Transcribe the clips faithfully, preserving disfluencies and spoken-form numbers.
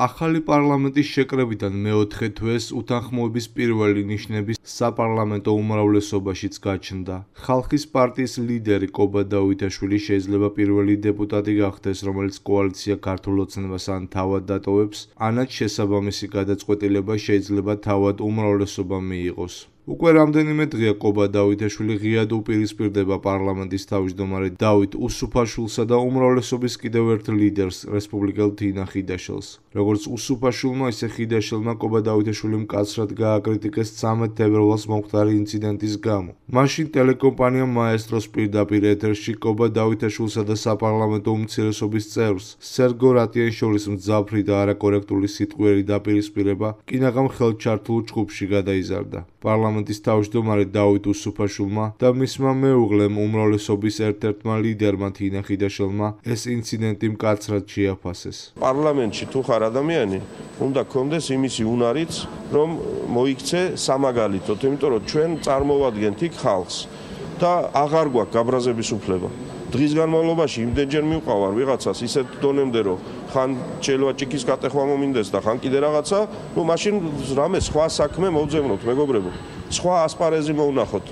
ახალი პარლამენტის შეკრებიდან მეოთხე თვეს უთანხმოების პირველი ნიშნები საპარლამენტო უმრავლესობაშიც გაჩნდა. ხალხის პარტიის ლიდერი კობა დავითაშვილი შეიძლება პირველი დეპუტატი გახდეს, რომელიც კოალიცია ქართულ ოცნებას ან თავად დატოვებს, ანაც შესაბამისი გადაწყვეტილება შეიძლება თავად უმრავლესობამ მიიღოს. უკვე რამდენიმე დღეა კობა დავითაშვილი ღიად უპირისპირდება პარლამენტის თავმჯდომარე დავით უსუფაშვილსა და უმრავლესობის კიდევ ერთ ლიდერს, რესპუბლიკელ თინა ხიდაშელს. როგორც უსუფაშვილმა, ისე ხიდაშელმა კობა დავითაშვილი მკაცრად გააკრიტიკეს ცამეტ თებერვალს მომხდარი ინციდენტის გამო. მაშინ ტელეკომპანია მაესტროს პირდაპირ ეთერში კობა დავითაშვილსა და საპარლამენტო უმცირესობის წევრს, სერგო რატიანშორის მძაფრი და არაკორექტული სიტყვიერი დაპირისპირება კინაღამ ხელჩართულ ჯგუფში გადაიზარდა. პარლამენტის თავმჯდომარე დავით უსუფაშვილმა და მისმა მეუღლემ უმრავლესობის ერთ-ერთმა ლიდერმა თინა ხიდაშელმა ეს ინციდენტი მკაცრად შეაფასეს. პარლამენტში თუ ხარ ადამიანი, უნდა გქონდეს იმისი უნარიც, რომ მოიქცე სამაგალითოდ, იმიტომ რომ ჩვენ წარმოვადგენთ იქ ხალხს და აღარ გვაქვს გაბრაზების უფლება. დღის განმავლობაში იმდენჯერ მივყავარ ვიღაცას ისეთ დონემდე, რომ ხან შეიძლება ჭიქის კატეხვა მომინდეს და ხან კიდე რაღაცა, ну მაშინ რამე სხვა საქმე მოვძებნოთ, მეგობრებო. სხვა ასპარეზი მოვნახოთ.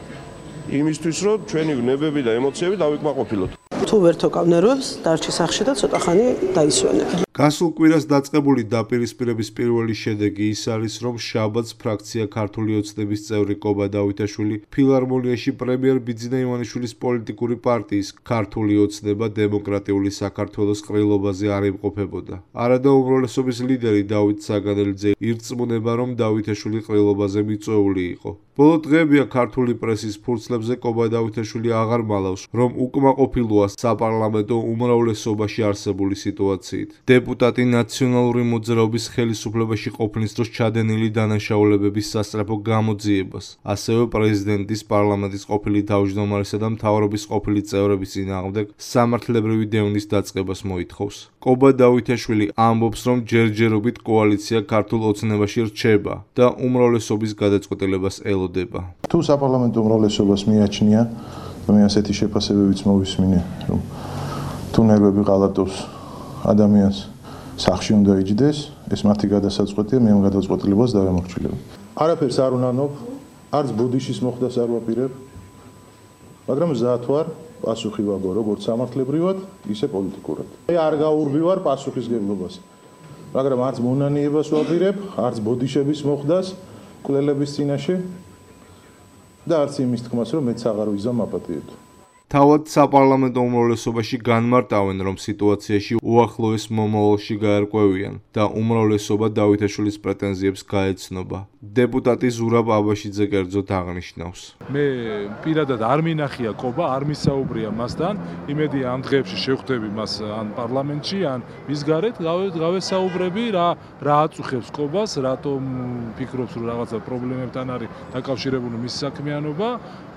იმისთვის რომ ჩვენი ნებები და ემოციები დავიკმაყოფილოთ. თუ ვერ თოკავ ნერვებს, დარჩი სახში და ცოტა ხანი დაისვენებ. გასულ კვირას დაწყებული დაპირისპირების პირველი შედეგი ის არის, რომ შაბათს ფრაქცია ქართული ოცნების წევრი კობა დავითაშვილი ფილარმონიაში პრემიერ ბიძინა ივანიშვილის პოლიტიკური პარტიის ქართული ოცნება დემოკრატიული საქართველოს ყრილობაზე არ იმყოფებოდა. არადა უმრავლესობის ლიდერი დავით საგანელიძე ირწმუნება, რომ დავითაშვილი ყრილობაზე მიწვეული იყო. ბოლო დღეებია ქართული პრესის ფურცლებზე კობა დავითაშვილი აღარ მალავს, რომ უკმაყოფილოა საპარლამენტო უმრავლესობაში არსებული სიტუაციით. დეპუტატი ნაციონალური მოძრაობის ხელისუფლებაში ყოფნის დროს ჩადენილი დანაშაულებების სასწრაფო გამოძიებას, ასევე პრეზიდენტის, პარლამენტის ყოფილი თავმჯდომარესა და მთავრობის ყოფილი წევრების წინააღმდეგ სამართლებრივი დევნის დაწყებას მოითხოვს. კობა დავითაშვილი ამბობს, რომ ჯერჯერობით კოალიცია ქართულ ოცნებაში რჩება და უმრავლესობის გადაწყვეტილებას ელოდება. თუ საპარლამენტო უმრავლესობას მიაჩნია, და მე ასეთი შეფასებებიც მოვისმინე, რომ თუ ნერვები ღალატობს ადამიანს სახში უნდა იჯდეს, ეს მათი გადასაწყვეტია, მე ამ გადაწყვეტილებას დავემორჩილებ. არაფერს არ უნანობ, არც ბუდიშის მოხდას არ ვაპირებ, მაგრამ მზად ვარ პასუხი ვაგო, როგორც სამართლებრივად, ისე პოლიტიკურად. მე არ გაურბივარ პასუხისგებლობას, მაგრამ არც მონანიებას ვაპირებ, არც ბუდიშების მოხდას კვლელების წინაშე და არც იმის თქმას, რომ მეც აღარ ვიზამ აპატიებ. თავად საპარლამენტო უმრავლესობაში განმარტავენ, რომ სიტუაციაში უახლოეს მომავალში გაერკვევიან და უმრავლესობა დავითაშვილის პრეტენზიებს გაეცნობა. დეპუტატი ზურაბ აბაშიძე კერძოდ აღნიშნავს. მე პირადად არ მინახია კობა, არ მისაუბრია მასთან, იმედია ამ დღეებში შევხვდები მას ან პარლამენტში, ან მის გარეთ გავესაუბრები, რა რა აწუხებს კობას, რატომ ფიქრობს, რომ რაღაცა პრობლემებთან არის დაკავშირებული მის საქმიანობა.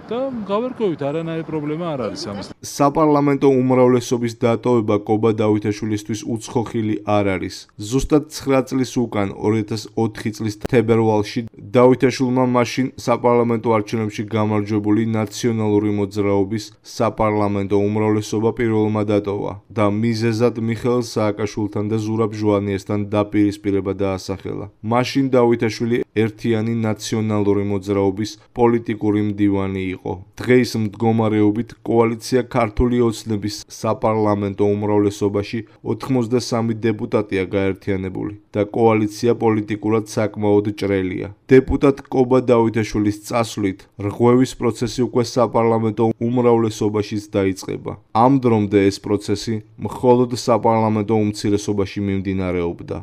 და გავერკვევით, არანაირი პრობლემა არ არის ამის. საპარლამენტო უმრავლესობის დატოვება კობა დავითაშვილისთვის უცხოხილი არ არის. ზუსტად ცხრა წლის უკან, ორი ათას ოთხი წლის თებერვალში, დავითაშვილმა მაშინ საპარლამენტო არჩევნებში გამარჯვებული ნაციონალური მოძრაობის საპარლამენტო უმრავლესობა პირველმა დატოვა და მიზეზად მიხეილ სააკაშვილთან და ზურაბ ჟვანიესთან დაპირისპირება დაასახელა. მაშინ დავითაშვილი ერთიანი ნაციონალური მოძრაობის პოლიტიკური მდივანი იყო. დღეის მდგომარეობით კოალიცია ქართული ოცნების საპარლამენტო უმრავლესობაში ოთხმოცდასამი დეპუტატია გაერთიანებული და კოალიცია პოლიტიკურად საკმაოდ ჭრელია. დეპუტატ კობა დავითაშვილის წასვლით რღვევის პროცესი უკვე საპარლამენტო უმრავლესობაშიც დაიწყება. ამ დრომდე ეს პროცესი მხოლოდ საპარლამენტო უმცირესობაში მიმდინარეობდა.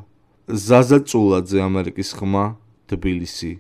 ზაზა წულაძე, ამერიკის ხმა, თბილისი.